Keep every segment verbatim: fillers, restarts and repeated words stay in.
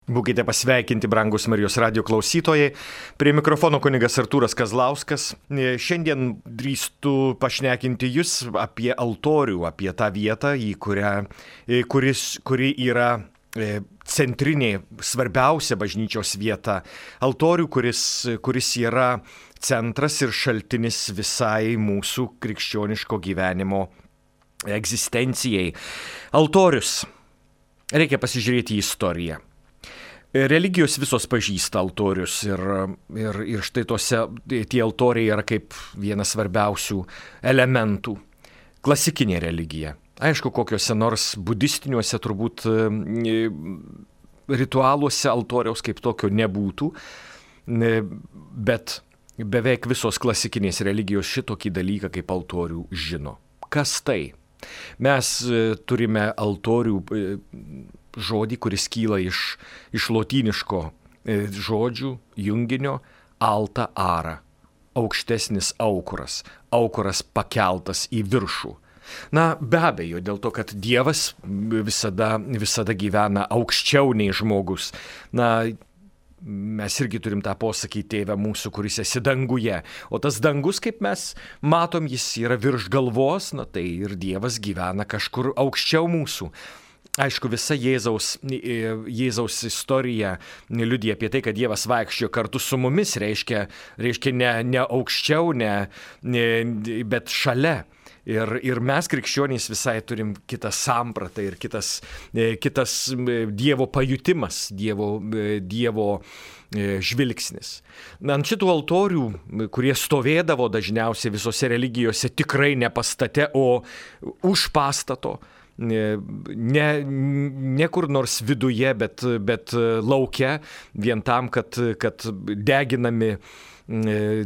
Būkite pasveikinti, brangus Marijos radijo klausytojai. Prie mikrofono kunigas Artūras Kazlauskas. Šiandien drįstu pašnekinti jūs apie altorių, apie tą vietą, į kurią, kuris, kuri yra centrinė, svarbiausia bažnyčios vieta. Altorių, kuris, kuris yra centras ir šaltinis visai mūsų krikščioniško gyvenimo egzistencijai. Altorius. Reikia pasižiūrėti į istoriją. Religijos visos pažįsta altorius ir, ir, ir štai tose, tie altoriai yra kaip vienas svarbiausių elementų. Klasikinė religija. Aišku, kokiuose nors budistiniuose turbūt ritualuose altoriaus kaip tokio nebūtų, bet beveik visos klasikinės religijos šitokį dalyką kaip altorių žino. Kas tai? Mes turime altorių žodį, kuris kyla iš, iš lotyniško žodžių junginio alta ara, aukštesnis aukuras, aukuras pakeltas į viršų. Na, be abejo, dėl to, kad Dievas visada, visada gyvena aukščiau nei žmogus. Na, mes irgi turim tą posakį, tėve mūsų, kuris esi danguje. O tas dangus, kaip mes matom, jis yra virš galvos, na tai ir Dievas gyvena kažkur aukščiau mūsų. Aišku, visa Jėzaus, Jėzaus istorija liudija apie tai, kad Dievas vaikščiojo kartu su mumis, reiškia, reiškia ne, ne aukščiau, ne, ne, bet šalia. Ir, ir mes krikščionys visai turim kitą sampratą ir kitas, kitas Dievo pajutimas, Dievo, dievo žvilgsnis. Na, ant šitų altorių, kurie stovėdavo dažniausiai visose religijose, tikrai ne pastate, o už pastato, ne, ne kur nors viduje, bet, bet lauke, vien tam, kad, kad deginami,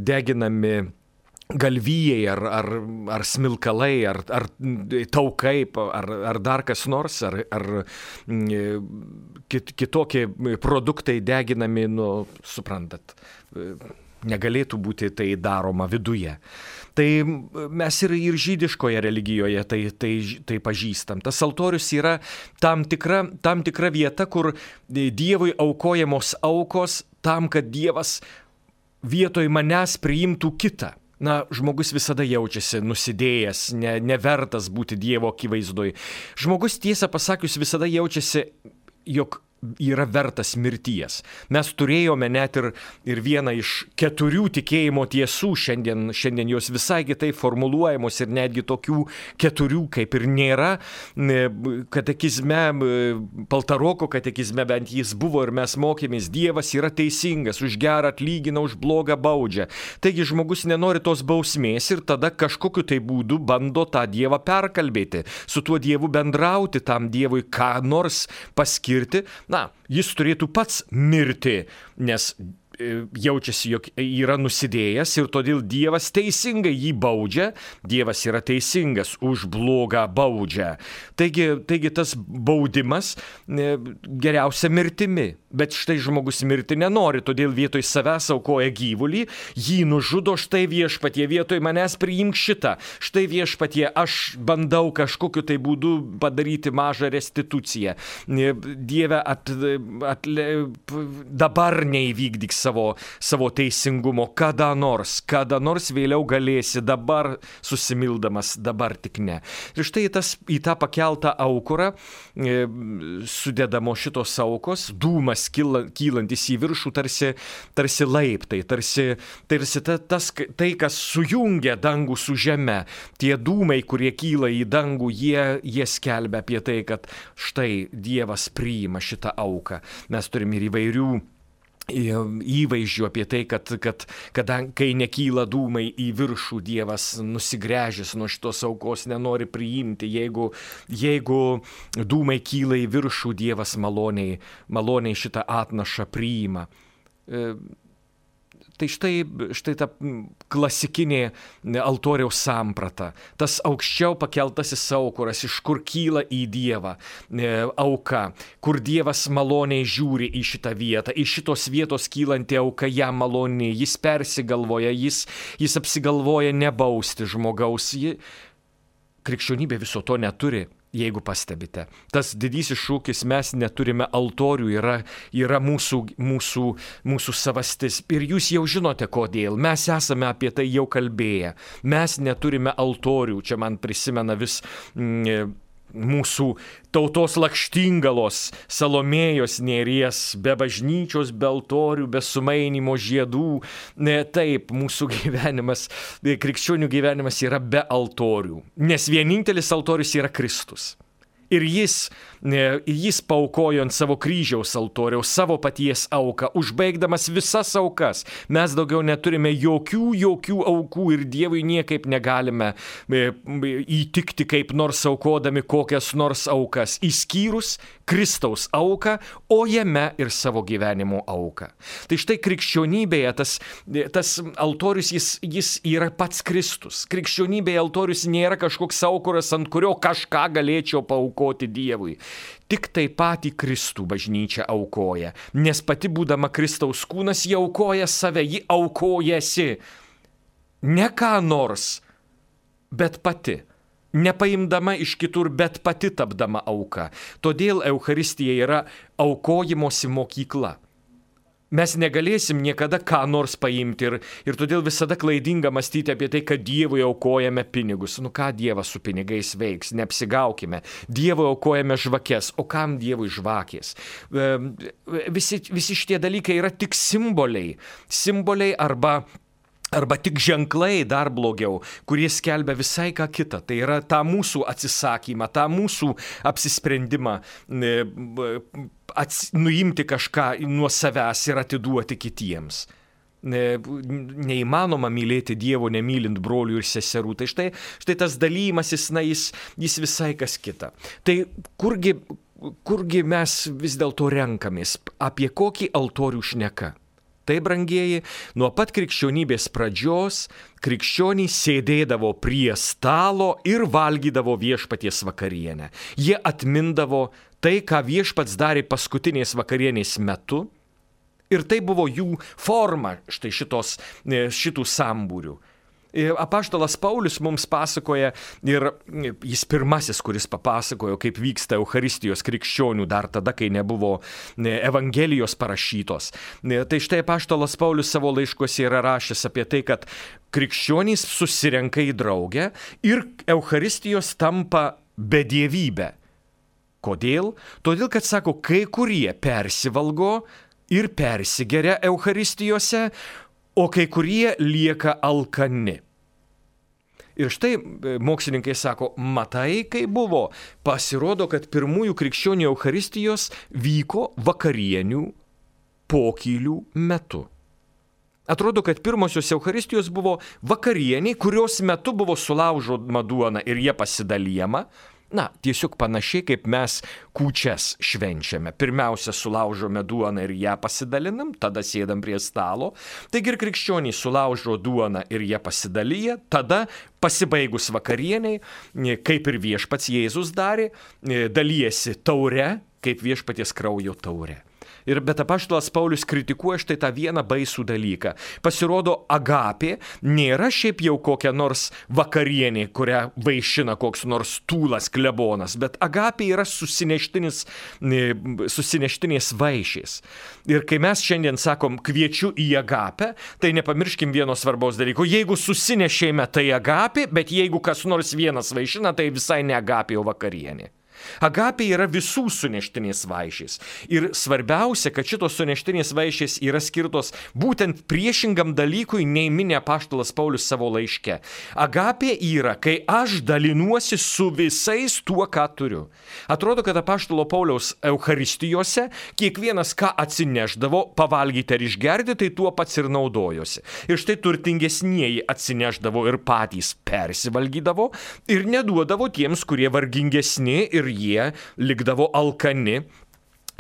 deginami galvijai ar, ar, ar smilkalai, ar, ar taukai, ar, ar dar kas nors, ar, ar kit, kitokie produktai deginami, nu, suprantat, negalėtų būti tai daroma viduje. Tai mes ir, ir žydiškoje religijoje tai, tai, tai pažįstam. Tas altorius yra tam tikra, tam tikra vieta, kur Dievui aukojamos aukos tam, kad Dievas vietoj manęs priimtų kitą. Na, žmogus visada jaučiasi nusidėjęs, ne, nevertas būti Dievo akivaizdoj. Žmogus, tiesą pasakius, visada jaučiasi, jog yra vertas mirties. Mes turėjome net ir, ir vieną iš keturių tikėjimo tiesų, šiandien, šiandien jos visai kitaip formuluojamos ir netgi tokių keturių kaip ir nėra. Katekizme, Paltaroko katekizme bent jis buvo ir mes mokėmės, Dievas yra teisingas, už gerą atlygina, už blogą baudžia. Taigi žmogus nenori tos bausmės ir tada kažkokiu tai būdu bando tą Dievą perkalbėti, su tuo Dievu bendrauti, tam Dievui ką nors paskirti. Na, jis turėtų pats mirti, nes jaučiasi, jog yra nusidėjęs ir todėl Dievas teisingai jį baudžia, Dievas yra teisingas, už blogą baudžia. Taigi, taigi tas baudimas geriausia mirtimi, bet štai žmogus mirti nenori, todėl vietoj savęs aukoja gyvulį, jį nužudo, štai Viešpatie, vietoj manęs priimk šitą, štai Viešpatie, aš bandau kažkokiu tai būdu padaryti mažą restituciją. Dieve, at, at, dabar neįvykdyk savo Savo, savo teisingumo, kada nors, kada nors vėliau galėsi, dabar susimildamas, dabar tik ne. Ir štai tas, į tą pakeltą aukurą e, sudedamo šitos aukos, dūmas kyla, kylantis į viršų, tarsi, tarsi laiptai, tarsi, tarsi ta, tas, tai, kas sujungia dangų su žeme. Tie dūmai, kurie kyla į dangų, jie, jie skelbia apie tai, kad štai Dievas priima šitą auką. Mes turime ir įvairių įvaizdžių apie tai, kad, kad, kad kai nekyla dūmai į viršų, Dievas nusigręžęs nuo šitos aukos nenori priimti. Jeigu, jeigu dūmai kyla į viršų, Dievas maloniai, maloniai šitą atnašą priima. Tai štai, štai ta klasikinė altoriaus samprata, tas aukščiau pakeltasis aukuras, iš kur kyla į Dievą auka, kur Dievas maloniai žiūri į šitą vietą, iš šitos vietos kylanti auka jam maloniai, jis persigalvoja, jis, jis apsigalvoja nebausti žmogaus. Krikščionybė viso to neturi. Jeigu pastebite, tas didysis šūkis mes neturime altorių yra, yra mūsų, mūsų, mūsų savastis. Ir jūs jau žinote kodėl. Mes esame apie tai jau kalbėję. Mes neturime altorių. Čia man prisimena vis mm, mūsų tautos lakštingalos, Salomėjos nėries, be bažnyčios, be altorių, be sumainimo žiedų. Ne, taip, mūsų gyvenimas, krikščionių gyvenimas yra be altorių, nes vienintelis altorius yra Kristus. Ir jis, jis paaukojo ant savo kryžiaus altoriaus savo paties auką, užbaigdamas visas aukas. Mes daugiau neturime jokių, jokių aukų ir Dievui niekaip negalime įtikti kaip nors aukodami kokias nors aukas, išskyrus Kristaus auką, o jame ir savo gyvenimo auką. Tai štai krikščionybėje tas, tas altorius, jis, jis yra pats Kristus. Krikščionybėje altorius nėra kažkoks aukuras, ant kurio kažką galėčiau paaukoti Dievui. Tik tai patį Kristų bažnyčia aukoja, nes pati būdama Kristaus kūnas, ji aukoja save, ji aukojasi. Ne ką nors, bet pati. Nepaimdama iš kitur, bet pati tapdama auka. Todėl Eucharistija yra aukojimosi mokykla. Mes negalėsim niekada ką nors paimti ir, ir todėl visada klaidinga mąstyti apie tai, kad Dievui aukojame pinigus. Nu ką Dievas su pinigais veiks, neapsigaukime. Dievui aukojame žvakes, o kam Dievui žvakės? Visi, visi šitie dalykai yra tik simboliai. Simboliai arba... Arba tik ženklai, dar blogiau, kurie skelbia visai ką kitą. Tai yra tą mūsų atsisakymą, tą mūsų apsisprendimą ats, nuimti kažką nuo savęs ir atiduoti kitiems. Neįmanoma mylėti Dievo nemylint brolių ir seserų. Tai štai, štai tas dalymasis, na, jis, jis visai kas kita. Tai kurgi, kurgi mes vis dėlto renkamės, apie kokį altorių šneka? Tai, brangieji, nuo pat krikščionybės pradžios krikščionys sėdėdavo prie stalo ir valgydavo viešpaties vakarienę. Jie atmindavo tai, ką viešpats darė paskutinės vakarienės metu, ir tai buvo jų forma štai šitos, šitų sambūrių. Apaštalas Paulius mums pasakoja, ir jis pirmasis, kuris papasakojo, kaip vyksta Eucharistijos krikščionių dar tada, kai nebuvo Evangelijos parašytos. Tai štai apaštalas Paulius savo laiškuose yra rašęs apie tai, kad krikščionys susirenka į draugę ir Eucharistijos tampa bedievybė. Kodėl? Todėl, kad, sako, kai kurie persivalgo ir persigeria Eucharistijose, o kai kurie lieka alkani. Ir štai mokslininkai sako, matai, kai buvo. Pasirodo, kad pirmųjų krikščionių Eucharistijos vyko vakarienių pokylių metu. Atrodo, kad pirmosios Eucharistijos buvo vakarieniai, kurios metu buvo sulaužoma duona ir jie pasidalijama. Na, tiesiog panašiai, kaip mes kūčias švenčiame. Pirmiausia, sulaužome duoną ir ją pasidalinam, tada sėdam prie stalo. Taigi ir krikščioniai sulaužo duoną ir ją pasidalyja, tada pasibaigus vakarieniai, kaip ir viešpats Jėzus darė, dalijasi taure, kaip viešpaties kraujo taure. Ir bet apaštalas Paulius kritikuoja štai tą vieną baisų dalyką. Pasirodo, agapė nėra šiaip jau kokia nors vakarienė, kurią vaišina koks nors tūlas klebonas, bet agapė yra susineštinis, susineštinės vaišės. Ir kai mes šiandien sakom kviečiu į agapę, tai nepamirškim vieno svarbaus dalyko. Jeigu susinešėme, tai agapė, bet jeigu kas nors vienas vaišina, tai visai ne agapė, o vakarienė. Agapė yra visų suneštinės vaišės. Ir svarbiausia, kad šitos suneštinės vaišės yra skirtos būtent priešingam dalykui, nei mini apaštalas Paulius savo laiške. Agapė yra, kai aš dalinuosi su visais tuo, ką turiu. Atrodo, kad apaštalo Pauliaus Eucharistijose kiekvienas, ką atsineždavo, pavalgyti ar išgerti, tai tuo pats ir naudojosi. Ir štai turtingesnieji atsineždavo ir patys persivalgydavo ir neduodavo tiems, kurie vargingesni ir jie likdavo alkani.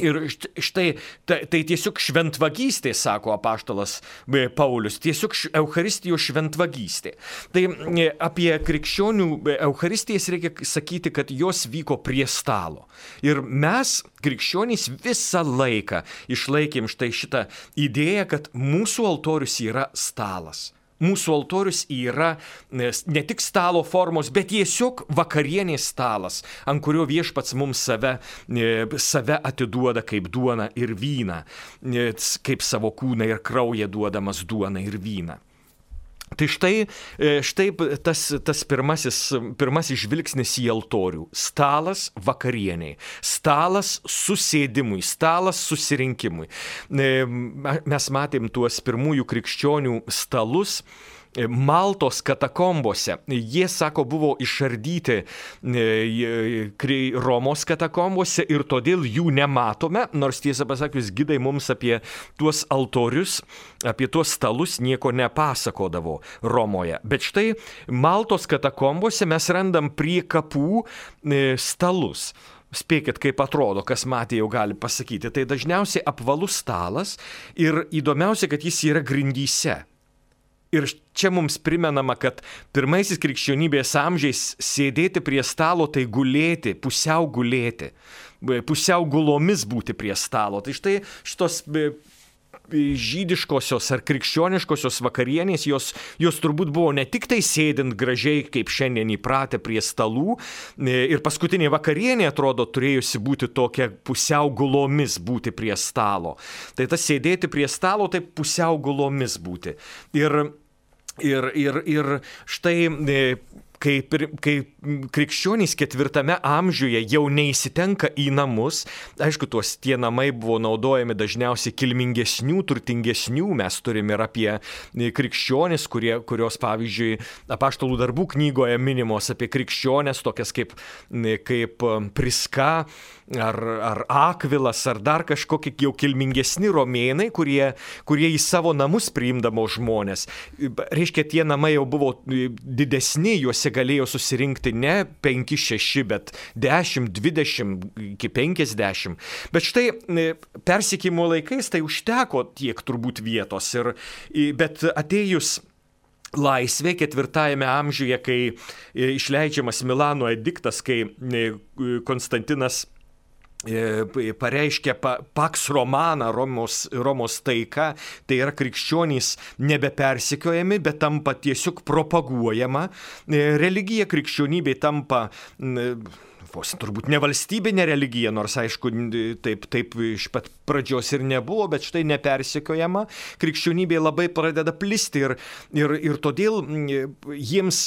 Ir štai, tai, tai tiesiog šventvagystė, sako apaštalas Paulius, tiesiog Eucharistijos šventvagystė. Tai apie krikščionių Eucharistijas reikia sakyti, kad jos vyko prie stalo. Ir mes, krikščionys, visą laiką išlaikėm štai šitą idėją, kad mūsų altorius yra stalas. mūsų altorius yra ne tik stalo formos, bet tiesiog vakarienės stalas, ant kurio viešpats mums save, save atiduoda kaip duoną ir vyną, kaip savo kūną ir kraują duodamas duoną ir vyną. Tai štai, štai tas, tas pirmasis, pirmasis žvilgsnis į altorių. Stalas vakarieniai, stalas susėdimui, stalas susirinkimui. Mes matėm tuos pirmųjų krikščionių stalus Maltos katakombose. Jie, sako, buvo išardyti Romos katakombose ir todėl jų nematome, nors tiesą pasakius, gidai mums apie tuos altorius, apie tuos stalus nieko nepasakodavo Romoje. Bet štai Maltos katakombose mes randam prie kapų stalus. Spėkit, kaip atrodo, kas matė jau gali pasakyti. Tai dažniausiai apvalus stalas ir įdomiausia, kad jis yra grindyse. Ir čia mums primenama, kad pirmaisiais krikščionybės amžiais sėdėti prie stalo tai gulėti, pusiau gulėti, pusiau gulomis būti prie stalo. Tai štai šitos žydiškosios ar krikščioniškosios vakarienės, jos, jos turbūt buvo ne tik tai sėdint gražiai, kaip šiandien įpratę prie stalų, ir paskutinė vakarienė, atrodo, turėjusi būti tokia pusiau gulomis būti prie stalo. Tai tas sėdėti prie stalo, tai pusiau gulomis būti. Ir, ir, ir, ir štai Kai, kai krikščionys ketvirtame amžiuje jau neįsitenka į namus, aišku, tuos tie namai buvo naudojami dažniausiai kilmingesnių, turtingesnių, mes turime ir apie krikščionys, kurie, kurios, pavyzdžiui, Apaštalų darbų knygoje minimos apie krikščionės, tokias kaip, kaip Priska, ar, ar Akvilas, ar dar kažkokie jau kilmingesni romėnai, kurie, kurie į savo namus priimdavo žmonės. Reiškia, tie namai jau buvo didesni, juose galėjo susirinkti ne penki šeši, bet dešimt, dvidešimt, iki penkiasdešimt. Bet štai persekiojimo laikais tai užteko tiek turbūt vietos. Ir, bet atėjus laisvė ketvirtajame amžiuje, kai išleidžiamas Milano ediktas, kai Konstantinas pareiškia Pax Romana, Romos, Romos taika, tai yra krikščionys nebepersekiojami, bet tampa tiesiog propaguojama. Religija krikščionybė tampa vos turbūt ne valstybinė religija, nors aišku, taip, taip iš pat pradžios ir nebuvo, bet štai nepersekiojama, krikščionybė labai pradeda plisti ir, ir, ir todėl jiems,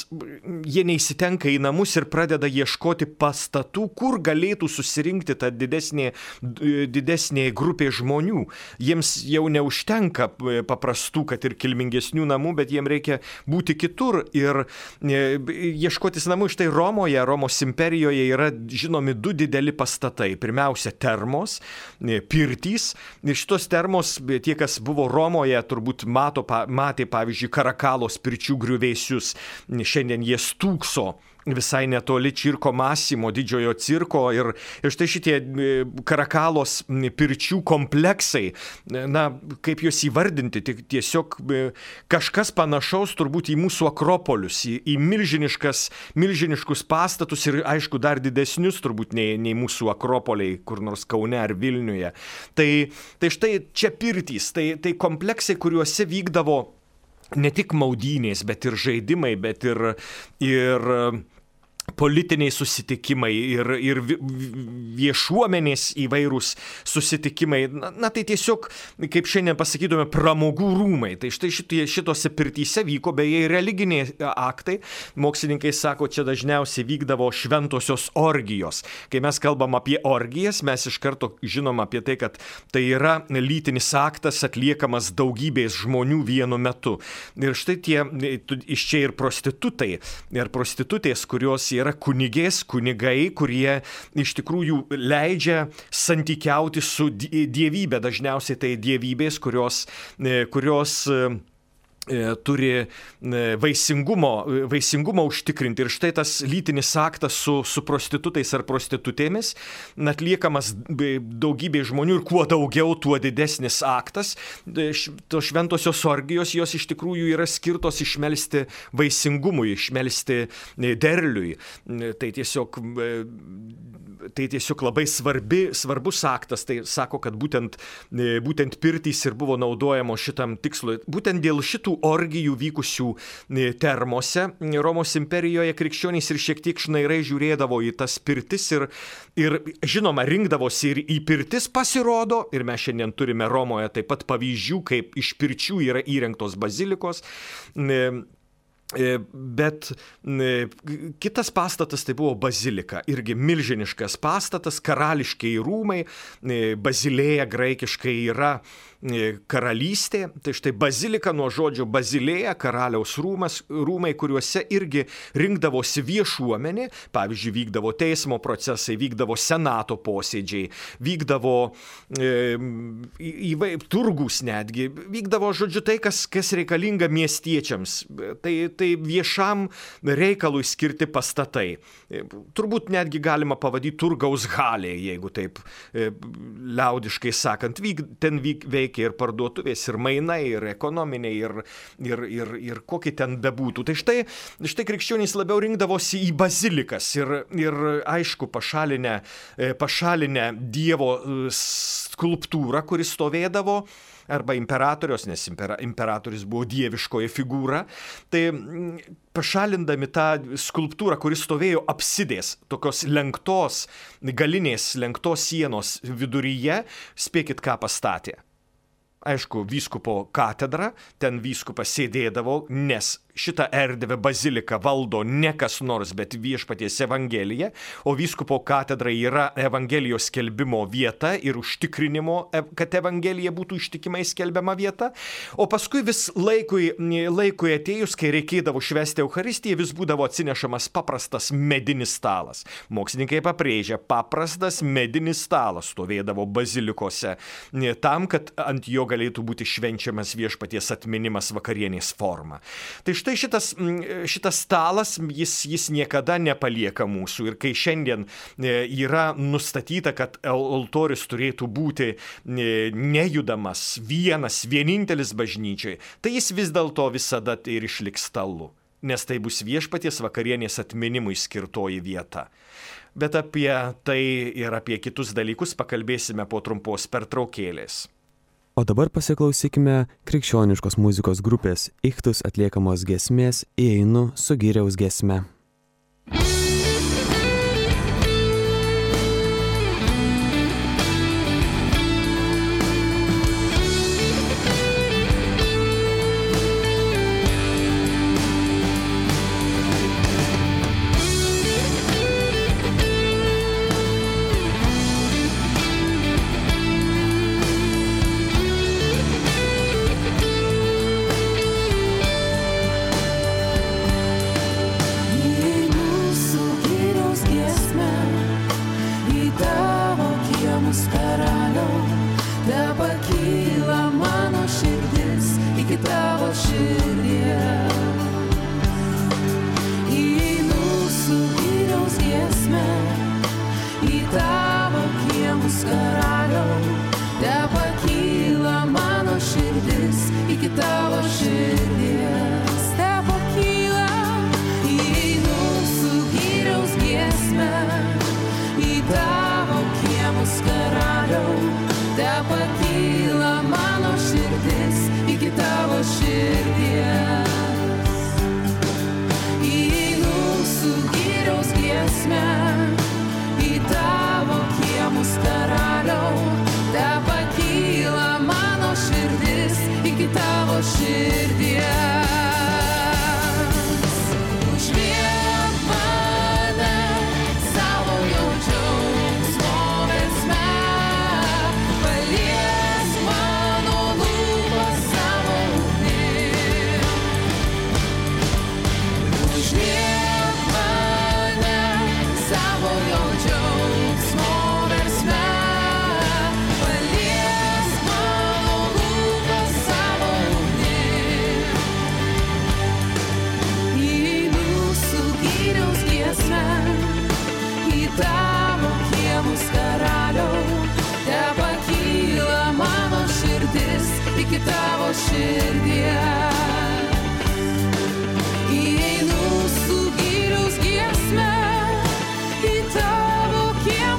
jie neįsitenka į namus ir pradeda ieškoti pastatų, kur galėtų susirinkti ta didesnė, didesnė grupė žmonių. Jiems jau neužtenka paprastų, kad ir kilmingesnių namų, bet jiems reikia būti kitur ir ieškotis namų. Štai Romoje, Romos imperijoje yra žinomi du dideli pastatai. Pirmiausia, termos, pirtys. Ir šitos termos, tie, kas buvo Romoje, turbūt mato, matė, pavyzdžiui, Karakalos pirčių griuvėsius. Šiandien jie stūkso visai netoli Cirko Massimo, didžiojo cirko. Ir, ir štai šitie Karakalos pirčių kompleksai, na, kaip juos įvardinti, tiesiog kažkas panašaus turbūt į mūsų akropolius, į, į milžiniškas, milžiniškus pastatus ir, aišku, dar didesnius turbūt nei, nei mūsų akropoliai, kur nors Kaune ar Vilniuje. Tai, tai štai čia pirtys, tai, tai kompleksai, kuriuose vykdavo ne tik maudynės, bet ir žaidimai, bet ir, ir politiniai susitikimai ir, ir viešuomenės įvairūs susitikimai. Na, na tai tiesiog, kaip šiandien pasakytume, pramogų rūmai. Tai štai šitie, šitose pirtyse vyko beje ir religiniai aktai. Mokslininkai sako, čia dažniausiai vykdavo šventosios orgijos. Kai mes kalbam apie orgijas, mes iš karto žinom apie tai, kad tai yra lytinis aktas atliekamas daugybės žmonių vienu metu. Ir štai tie, iš čia ir prostitutai, ir prostitutės, kurios yra kunigės, kunigai, kurie iš tikrųjų leidžia santykiauti su dievybė. Dažniausiai tai dievybės, kurios, kurios turi vaisingumo, vaisingumo užtikrinti. Ir štai tas lytinis aktas su, su prostitutais ar prostitutėmis atliekamas daugybė žmonių ir kuo daugiau, tuo didesnis aktas. Tos šventosios orgijos, jos iš tikrųjų yra skirtos išmelsti vaisingumui, išmelsti derliui. Tai tiesiog tai tiesiog labai svarbi, svarbus aktas, tai sako, kad būtent, būtent pirtys ir buvo naudojamos šitam tikslui. Būtent dėl šitų orgijų vykusių termose Romos imperijoje krikščionys ir šiek tiek šnairai žiūrėdavo į tas pirtis ir, ir žinoma, rinkdavosi ir į pirtis pasirodo, ir mes šiandien turime Romoje taip pat pavyzdžių, kaip iš pirčių yra įrengtos bazilikos. Bet kitas pastatas tai buvo bazilika, irgi milžiniškas pastatas, karališkiai rūmai, bazilėja graikiškai yra karalystė, tai štai bazilika nuo žodžio bazilėja, karaliaus rūmas, rūmai, kuriuose irgi rinkdavosi viešuomenė, pavyzdžiui, vykdavo teismo procesai, vykdavo senato posėdžiai, vykdavo e, įvai, turgus netgi, vykdavo, žodžiu, tai, kas, kas reikalinga miestiečiams, tai, tai viešam reikalui skirti pastatai. Turbūt netgi galima pavadyti turgaus halė, jeigu taip e, liaudiškai sakant, vyk, ten vyk, veikia ir parduotuvės, ir mainai, ir ekonominiai, ir, ir, ir, ir kokie ten bebūtų. Tai štai, štai krikščionys labiau rinkdavosi į bazilikas ir, ir aišku, pašalinę, pašalinę Dievo skulptūrą, kuris stovėdavo, arba imperatorius, nes impera, imperatorius buvo dieviškoji figūra, tai pašalindami tą skulptūrą, kuris stovėjo apsidės, tokios lenktos, galinės lenktos sienos viduryje, spėkit, ką pastatė. Aišku, vyskupo katedra, ten vyskupas sėdėdavo, nes šitą erdvę baziliką valdo ne kas nors, bet viešpaties Evangelija, o vyskupo katedra yra Evangelijos skelbimo vieta ir užtikrinimo, kad Evangelija būtų ištikimai skelbiama vieta, o paskui vis laikui, laikui atėjus, kai reikėdavo švęsti Eucharistiją, vis būdavo atsinešamas paprastas medinis stalas. Mokslininkai pabrėžia, paprastas medinis stalas stovėdavo bazilikose, tam, kad ant jo galėtų būti švenčiamas viešpaties atminimas vakarienės forma. Tai štai šitas, šitas stalas, jis, jis niekada nepalieka mūsų. Ir kai šiandien yra nustatyta, kad altorius turėtų būti nejudamas, vienas, vienintelis bažnyčiai, tai jis vis dėlto visada ir išliks stalu. Nes tai bus viešpaties vakarienės atminimui skirtoji vieta. Bet apie tai ir apie kitus dalykus pakalbėsime po trumpos pertraukėlės. O dabar pasiklausykime krikščioniškos muzikos grupės Ichtus atliekamos giesmės Įeinu su Giriaus giesme. Įeinu su Giriaus giesme į tavo kiemą.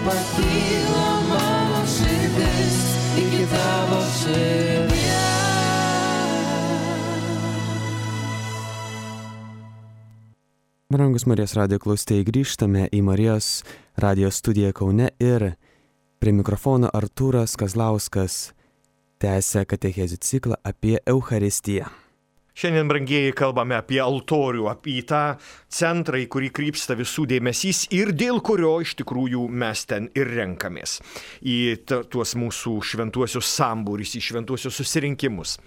Pakyla mano širdis iki tavo širdies. Brangus Marijos radijo klausytojai, grįžtame į Marijos radijo studiją Kaune ir prie mikrofono Artūras Kazlauskas tęsia katechezių ciklą apie Eucharistiją. Šiandien, brangieji, kalbame apie altorių, apie tą centrą, į kurį krypsta visų dėmesys ir dėl kurio iš tikrųjų mes ten ir renkamės į tuos mūsų šventuosius sambūris, į šventuosius susirinkimus.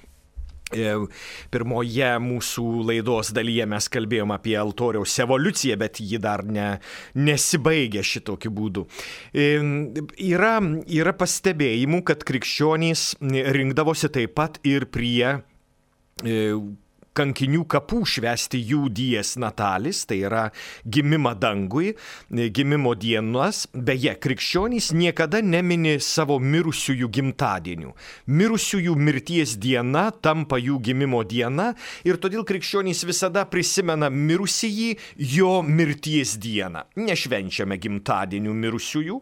Pirmoje mūsų laidos dalyje mes kalbėjom apie altoriaus evoliuciją, bet ji dar ne, nesibaigia šitokiu būdu. Yra, yra pastebėjimų, kad krikščionys rinkdavosi taip pat ir prie kankinių kapų švęsti jų dies natalis, tai yra gimimą dangui, gimimo dienas. Beje, krikščionys niekada nemini savo mirusiųjų gimtadienių. Mirusiųjų mirties diena tampa jų gimimo diena ir todėl krikščionys visada prisimena mirusįjį jo mirties dieną. Nešvenčiame gimtadienių mirusiųjų,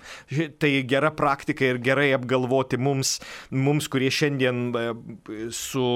tai gera praktika ir gerai apgalvoti mums, mums kurie šiandien su,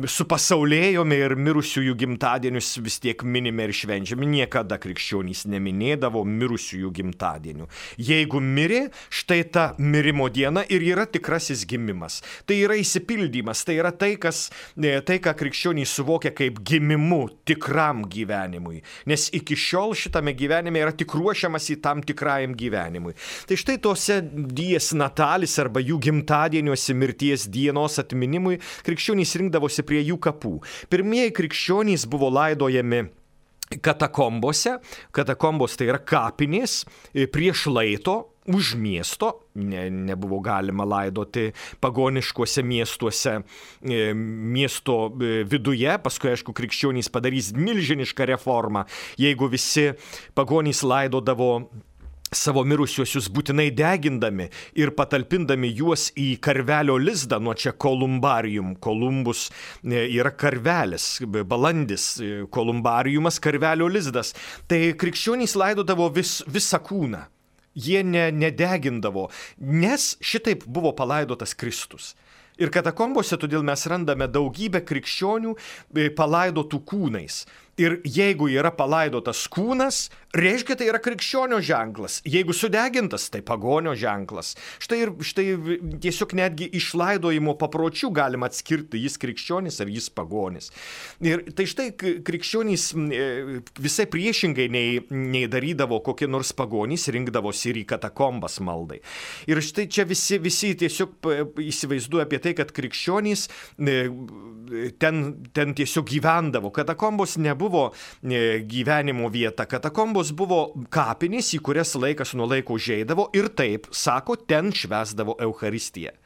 su pasaulėjome ir mirusiųjų gimtadienius vis tiek minime ir švenčiame. Niekada krikščionys neminėdavo mirusiųjų gimtadienių. Jeigu mirė, štai ta mirimo diena ir yra tikrasis gimimas. Tai yra išsipildymas, tai yra tai, kas, tai ką krikščionys suvokia kaip gimimu tikram gyvenimui. Nes iki šiol šitame gyvenime yra tik ruošiamas į tam tikrajam gyvenimui. Tai štai tose dies natalis arba jų gimtadieniuose mirties dienos atminimui krikščionys rinkdavosi prie jų kapų. Pirmieji krikščionys buvo laidojami katakombose. Katakombos tai yra kapinės prieš laito, už miesto. Ne, nebuvo galima laidoti pagoniškuose miestuose, miesto viduje. Paskui, aišku, krikščionys padarys milžinišką reformą. Jeigu visi pagonys laidodavo savo mirusiuosius būtinai degindami ir patalpindami juos į karvelio lizdą, nuo čia kolumbarium. Kolumbus yra karvelis, balandis, kolumbariumas karvelio lizdas. Tai krikščionys laidodavo vis, visą kūną. Jie ne, nedegindavo, nes šitaip buvo palaidotas Kristus. Ir katakombose todėl mes randame daugybę krikščionių palaidotų kūnais. Ir jeigu yra palaidotas kūnas, reiškia, tai yra krikščionio ženklas. Jeigu sudegintas, tai pagonio ženklas. Štai ir štai tiesiog netgi iš laidojimo papročių galima atskirti, jis krikščionis ar jis pagonis. Ir tai štai krikščionys visai priešingai nei, nei darydavo kokie nors pagonys, rinkdavosi ir į katakombas maldai. Ir štai čia visi, visi tiesiog įsivaizduoja apie tai, kad krikščionys ten, ten tiesiog gyvendavo. Katakombos nebuvo buvo gyvenimo vieta. Katakombos buvo kapinės, į kurias laikas nuo laiko užeidavo ir taip, sako, ten švęsdavo Eucharistiją.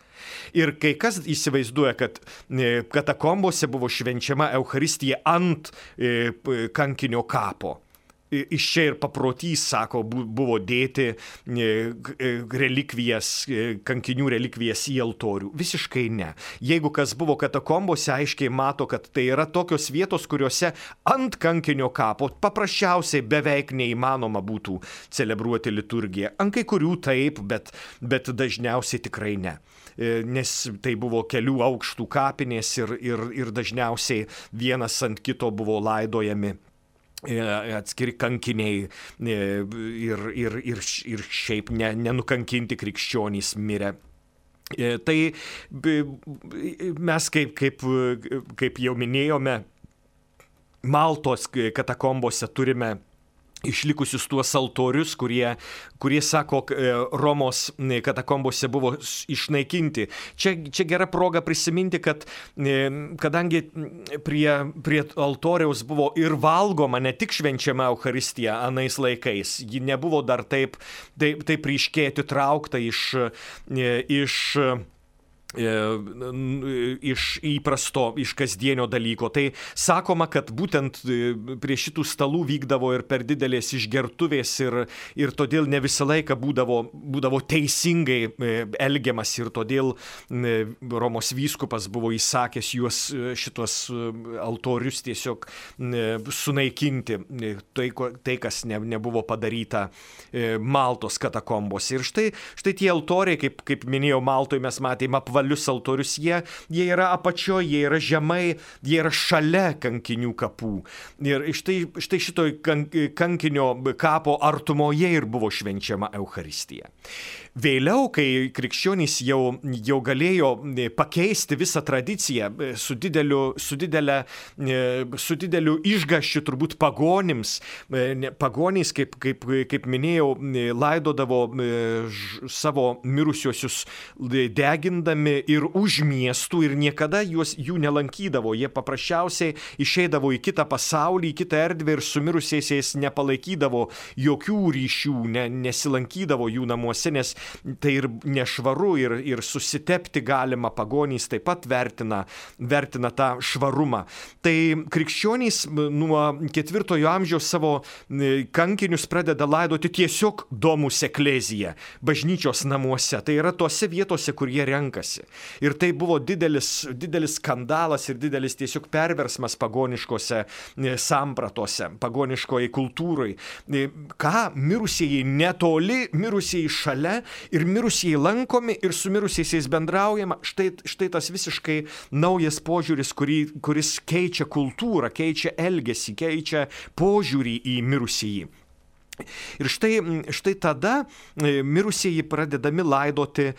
Ir kai kas įsivaizduoja, kad katakombose buvo švenčiama Eucharistija ant kankinio kapo. Iš čia ir paprotys, sako, buvo dėti relikvijas, kankinių relikvijas į altorių. Visiškai ne. Jeigu kas buvo katakombose, aiškiai mato, kad tai yra tokios vietos, kuriuose ant kankinio kapo paprasčiausiai beveik neįmanoma būtų celebruoti liturgiją. Ant kai kurių taip, bet, bet dažniausiai tikrai ne. Nes tai buvo kelių aukštų kapinės ir, ir, ir dažniausiai vienas ant kito buvo laidojami atskiri kankiniai ir, ir, ir, ir šiaip ne, nenukankinti krikščionys mirė. Tai mes, kaip, kaip, kaip jau minėjome, Maltos katakombose turime išlikusius tuos altorius, kurie, kurie sako, Romos katakombose buvo išnaikinti. Čia, čia gera proga prisiminti, kad kadangi prie, prie altoriaus buvo ir valgoma, ne tik švenčiama Eucharistija anais laikais, ji nebuvo dar taip, taip, taip ryškiai atitraukta iš, iš iš įprasto, iš kasdienio dalyko. Tai sakoma, kad būtent prie šitų stalų vykdavo ir per didelės išgertuvės ir, ir todėl ne visą laiką būdavo, būdavo teisingai elgiamas ir todėl Romos vyskupas buvo įsakęs juos šitos altorius tiesiog sunaikinti. Tai, tai kas ne, nebuvo padaryta Maltos katakombose. Ir štai, štai tie altoriai, kaip, kaip minėjau, Maltoje mes matėme apvalę altorius, jie, jie yra apačioje, jie yra žemai, jie yra šalia kankinių kapų. Ir štai, štai šitoj kankinio kapo artumoje ir buvo švenčiama Eucharistija. Vėliau, kai krikščionys jau, jau galėjo pakeisti visą tradiciją su dideliu, su didelė, su dideliu išgąsčiu turbūt pagonims, pagonys, kaip, kaip, kaip minėjau, laidodavo savo mirusiuosius degindami ir už miestų ir niekada juos, jų nelankydavo. Jie paprasčiausiai išeidavo į kitą pasaulį, į kitą erdvę ir su mirusiaisiais nepalaikydavo jokių ryšių, ne, nesilankydavo jų namuose, nes tai ir nešvaru ir, ir susitepti galima, pagonys taip pat vertina, vertina tą švarumą. Tai krikščionys nuo ketvirtojo amžiaus savo kankinius pradeda laidoti tiesiog domus eklezija, bažnyčios namuose. Tai yra tose vietose, kur jie renkasi. Ir tai buvo didelis, didelis skandalas ir didelis tiesiog perversmas pagoniškose sampratose, pagoniškoje kultūrai. Ką mirusieji netoli, mirusieji šalia ir mirusieji lankomi ir su mirusiaisiais bendraujama, štai, štai tas visiškai naujas požiūris, kurį, kuris keičia kultūrą, keičia elgesį, keičia požiūrį į mirusieji. Ir štai, štai tada mirusieji pradedami laidoti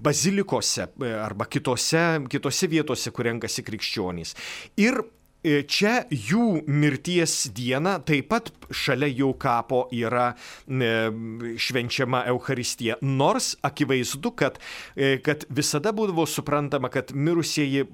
bazilikose arba kitose, kitose vietose, kur renkasi krikščionys. Ir čia jų mirties diena taip pat šalia jų kapo yra švenčiama Eucharistija. Nors akivaizdu, kad, kad visada būdavo suprantama, kad mirusieji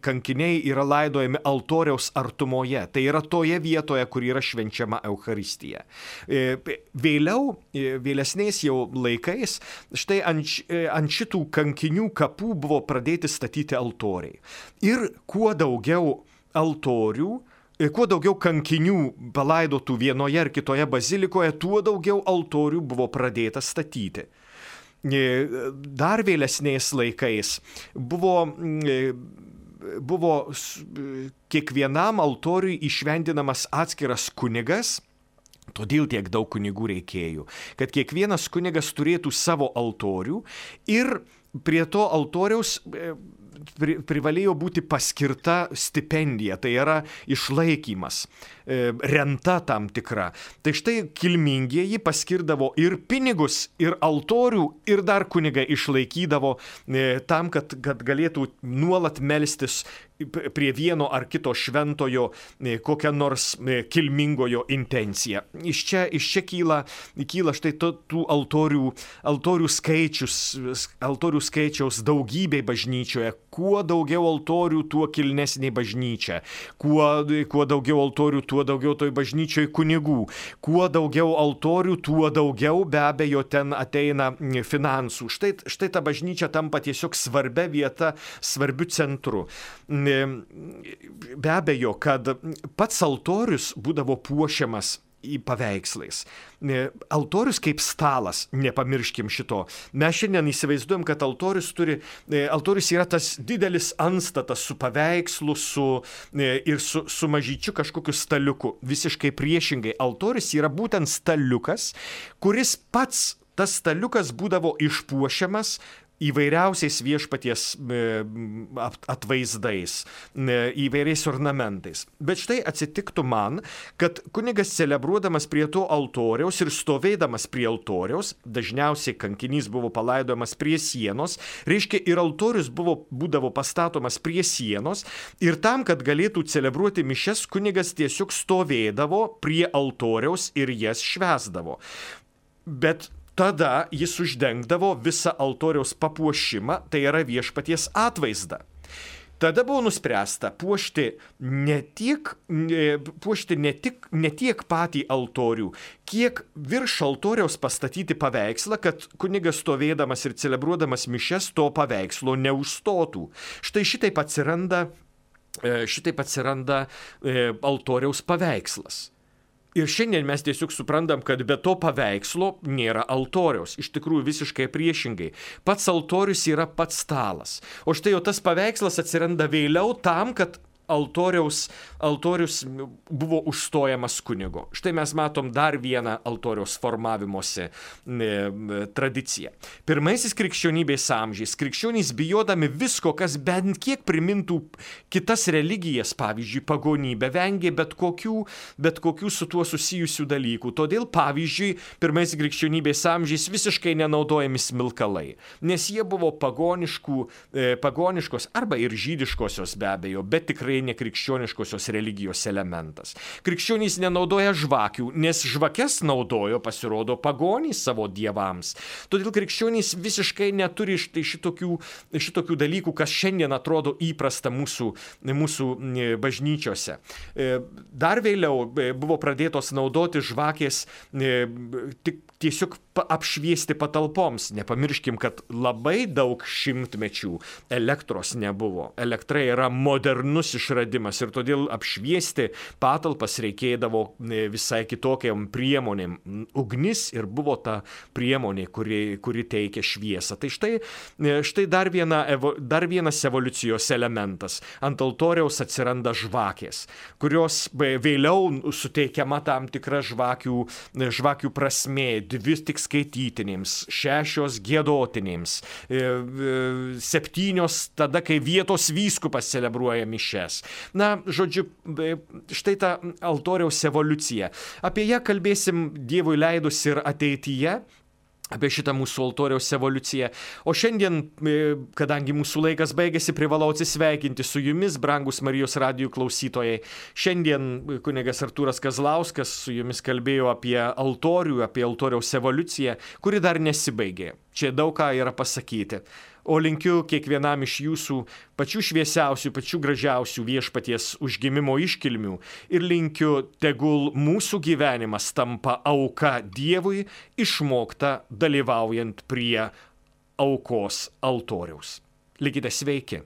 kankiniai yra laidojami altoriaus artumoje. Tai yra toje vietoje, kur yra švenčiama Eucharistija. Vėliau, vėlesniais jau laikais, štai ant, ant šitų kankinių kapų buvo pradėti statyti altoriai. Ir kuo daugiau altorių, kuo daugiau kankinių palaidotų vienoje ar kitoje bazilikoje, tuo daugiau altorių buvo pradėta statyti. Dar vėlesniais laikais buvo, buvo kiekvienam altoriui išvendinamas atskiras kunigas, todėl tiek daug kunigų reikėjo, kad kiekvienas kunigas turėtų savo altorių ir prie to altoriaus privalėjo būti paskirta stipendija, tai yra išlaikymas, renta tam tikra. Tai štai kilmingieji paskirdavo ir pinigus, ir altorių, ir dar kunigą išlaikydavo tam, kad, kad galėtų nuolat melstis prie vieno ar kito šventojo kokią nors kilmingojo intenciją. Iš čia, iš čia kyla, kyla štai to, tų altorių, altorių skaičius, altorių skaičiaus daugybė bažnyčioje. Kuo daugiau altorių, tuo kilnesnė bažnyčia. Kuo, kuo daugiau altorių, tuo daugiau toj bažnyčioj kunigų. Kuo daugiau altorių, tuo daugiau be abejo ten ateina finansų. Štai, štai ta bažnyčia tampa tiesiog svarbia vieta, svarbiu centru. Be abejo, kad pats altorius būdavo puošiamas į paveikslais. Altorius kaip stalas, nepamirškim šito. Mes šiandien įsivaizduojam, kad altorius turi, altorius yra tas didelis antstatas su paveikslu su, ir su, su mažyčiu kažkokiu staliuku. Visiškai priešingai. Altorius yra būtent staliukas, kuris pats, tas staliukas būdavo išpuošiamas įvairiausiais viešpaties atvaizdais, įvairiais ornamentais. Bet štai atsitiktų man, kad kunigas celebruodamas prie to altoriaus ir stovėdamas prie altoriaus, dažniausiai kankinys buvo palaidojamas prie sienos, reiškia ir altorius buvo, būdavo pastatomas prie sienos ir tam, kad galėtų celebruoti mišias, kunigas tiesiog stovėdavo prie altoriaus ir jas švęsdavo. Bet tada jis uždengdavo visą altoriaus papuošimą, tai yra viešpaties atvaizdą. Tada buvo nuspręsta puošti ne tiek, puošti ne tik, ne tiek patį altorių, kiek virš altoriaus pastatyti paveikslą, kad kunigas stovėdamas ir celebruodamas mišias to paveikslo neužstotų. Štai šitaip atsiranda, šitaip atsiranda altoriaus paveikslas. Ir šiandien mes tiesiog suprantam, kad be to paveikslo nėra altoriaus. Iš tikrųjų visiškai priešingai. Pats altorius yra pats stalas. O štai jau tas paveikslas atsiranda vėliau tam, kad altoriaus, altorius buvo užstojamas kunigo. Štai mes matom dar vieną altoriaus formavimosi e, tradiciją. Pirmaisiais krikščionybės amžiais krikščionys bijodami visko, kas bent kiek primintų kitas religijas, pavyzdžiui, pagonybę, vengė bet kokių, bet kokių su tuo susijusių dalykų. Todėl, pavyzdžiui, pirmaisiais krikščionybės amžiais visiškai nenaudojami smilkalai, nes jie buvo pagoniškų, e, pagoniškos arba ir žydiškosios be abejo, bet tikrai nekrikščioniškosios religijos elementas. Krikščionys nenaudoja žvakių, nes žvakes naudojo, pasirodo, pagonys savo dievams. Todėl krikščionys visiškai neturi štai šitokių, šitokių dalykų, kas šiandien atrodo įprasta mūsų, mūsų bažnyčiose. Dar vėliau buvo pradėtos naudoti žvakės tik tiesiog apšviesti patalpoms. Nepamirškim, kad labai daug šimtmečių elektros nebuvo. Elektra yra modernus išradimas ir todėl apšviesti patalpas reikėdavo visai kitokiam priemonėm. Ugnis ir buvo ta priemonė, kuri, kuri teikia šviesą. Tai štai, štai dar, viena, dar vienas evoliucijos elementas. Ant altoriaus atsiranda žvakės, kurios vėliau suteikiama tam tikra žvakių, žvakių prasmė. Dvi tik skaitytinėms, šešios giedotinėms, septynios tada, kai vietos vyskupas celebruoja mišias. Na, žodžiu, štai ta altoriaus evoliucija. Apie ją kalbėsim Dievui leidus ir ateityje, apie šitą mūsų altoriaus evoliuciją. O šiandien, kadangi mūsų laikas baigėsi, privalau atsisveikinti su jumis, brangus Marijos radijų klausytojai. Šiandien kunigas Artūras Kazlauskas su jumis kalbėjo apie altorių, apie altoriaus evoliuciją, kuri dar nesibaigė. Čia daug ką yra pasakyti. O linkiu kiekvienam iš jūsų pačių šviesiausių, pačių gražiausių viešpaties užgimimo iškilmių ir linkiu, tegul mūsų gyvenimas tampa auka Dievui, išmokta dalyvaujant prie aukos altoriaus. Likite sveiki.